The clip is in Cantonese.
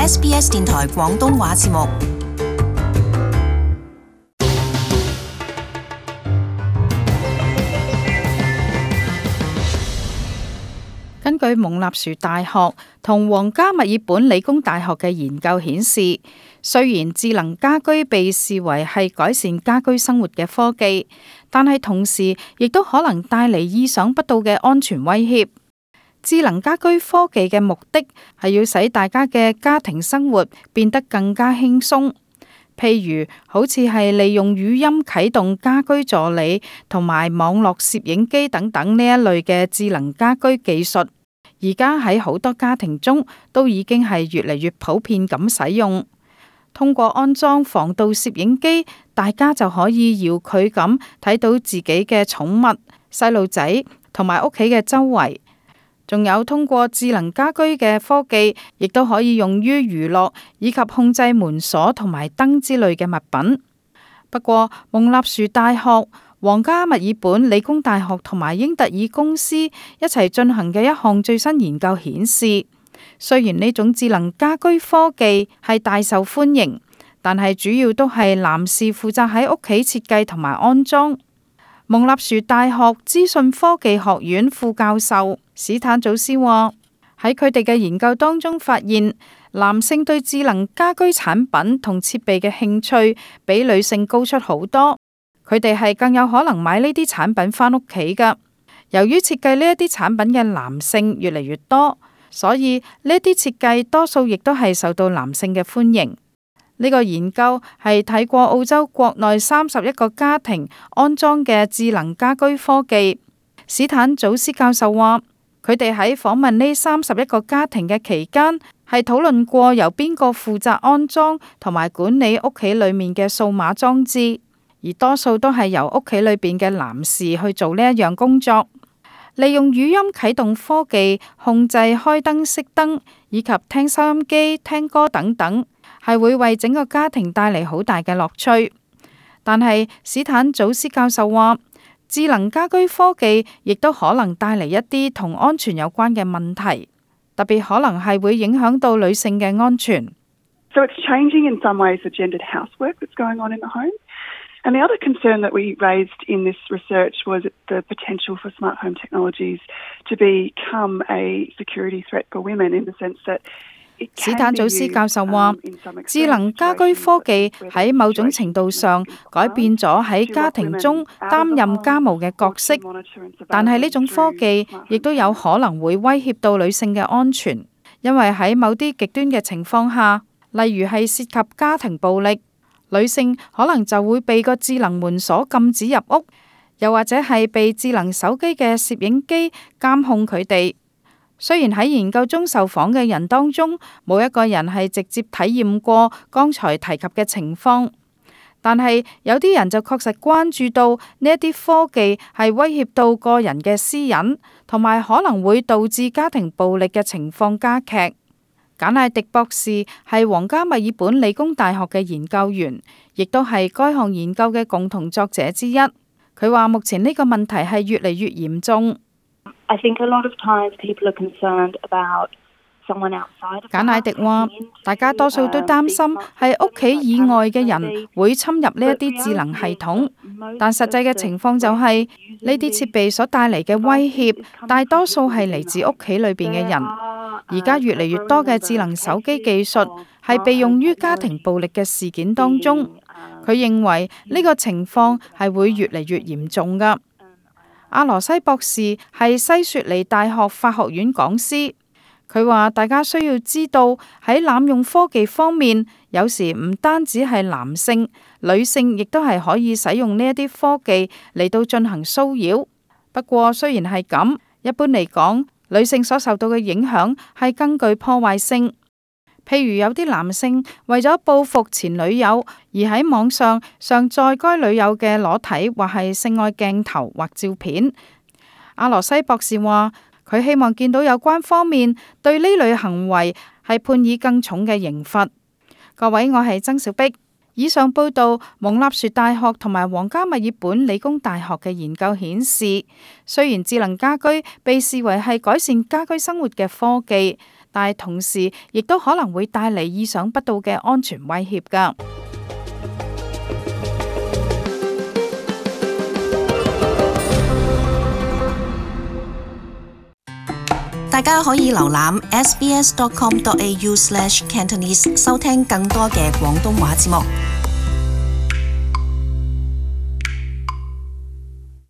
SBS 電台廣東話節目。根據蒙納殊大學同皇家墨爾本理工大學嘅研究顯示，雖然智能家居被視為係改善家居生活嘅科技，但係同時亦都可能帶嚟意想不到嘅安全威脅。智能家居科技嘅目的係要使大家嘅家庭生活變得更加輕鬆，譬如好似係利用語音啟動家居助理同埋網絡攝影機等等呢一類嘅智能家居技術，而家喺好多家庭中都已經係越嚟越普遍咁使用。通過安裝防盜攝影機，大家就可以遙距咁睇到自己嘅寵物、細路仔同埋屋企嘅周圍。仲有通過智能家居嘅科技，亦都可以用於娛樂以及控制門鎖同埋燈之類嘅物品。不過，蒙納殊大學、皇家墨爾本理工大學同埋英特爾公司一齊進行嘅一項最新研究顯示，雖然呢種智能家居科技係大受歡迎，但係主要都係男士負責喺屋企設計同埋安裝。蒙納殊大學資訊科技學院副教授史坦祖斯話：喺佢哋嘅研究當中發現，男性對智能家居產品同設備嘅興趣比女性高出好多，佢哋係更有可能買呢啲產品返屋企㗎。由於設計呢一啲產品嘅男性越嚟越多，所以呢啲設計多數亦都係受到男性嘅歡迎。呢個研究係睇過澳洲國內31個家庭安裝嘅智能家居科技。史坦祖斯教授話，佢哋喺訪問呢31個家庭嘅期間，係討論過由邊個負責安裝同埋管理屋企裏面嘅數碼裝置，而多數都係由屋企裏邊嘅男士去做呢一樣工作。利用語音啟動科技控制開燈熄燈，以及聽收音機、聽歌等等，係會為整個家庭帶嚟好大嘅樂趣。但係史坦祖斯教授話，智能家居科技亦都可能帶嚟一啲同安全有關嘅問題，特別可能係會影響到女性嘅安全。So it's changing in some ways the gendered housework that's going on in the home. And the other concern that we raised in this research was the potential for smart home technologies to become a security threat for women in the sense that史坦祖斯教授話，智能家居科技喺某種程度上改變咗喺家庭中擔任家務嘅角色，但係呢種科技亦都有可能會威脅到女性嘅安全，因為喺某啲極端嘅情況下，例如係涉及家庭暴力，女性可能就會被個智能門鎖禁止入屋，又或者係被智能手機嘅攝影機監控佢哋。雖然喺研究中受訪嘅人當中，冇一個人係直接體驗過剛才提及嘅情況，但係有啲人就確實關注到呢一啲科技係威脅到個人嘅私隱，同埋可能會導致家庭暴力嘅情況加劇。簡艾迪博士係皇家墨爾本理工大學嘅研究員，亦都係該項研究嘅共同作者之一。佢話目前呢個問題係越嚟越嚴重。I think a lot of times people are concerned about someone outside of the house. 簡艾迪話，大家多數都擔心係屋企以外嘅人會侵入呢一啲智能系統，但實際嘅情況就係呢啲設備所帶嚟嘅威脅，大多數係嚟自屋企裏邊嘅人。而家越嚟越多嘅智能手機技術係被用於家庭暴力嘅事件當中。佢認為呢個情況係會越嚟越嚴重㗎。阿羅西博士係西雪梨大學法學院講師，佢話大家需要知道喺濫用科技方面，有時唔單止係男性，女性亦都係可以使用呢一啲科技嚟到進行騷擾。不過雖然係咁，一般嚟講，女性所受到嘅影響係更具破壞性。譬如有啲男性為咗報復前女友，而喺網上上載該女友嘅裸體或係性愛鏡頭或照片。阿羅西博士話，佢希望見到有關方面對呢類行為係判以更重嘅刑罰。各位，我係曾小碧。以上報道，蒙納殊大學同埋皇家墨爾本理工大學嘅研究顯示，雖然智能家居被視為係改善家居生活嘅科技，但係同時亦都可能會帶嚟意想不到嘅安全威脅㗎。大家可以瀏覽 sbs.com.au/Cantonese 收聽更多嘅廣東話節目。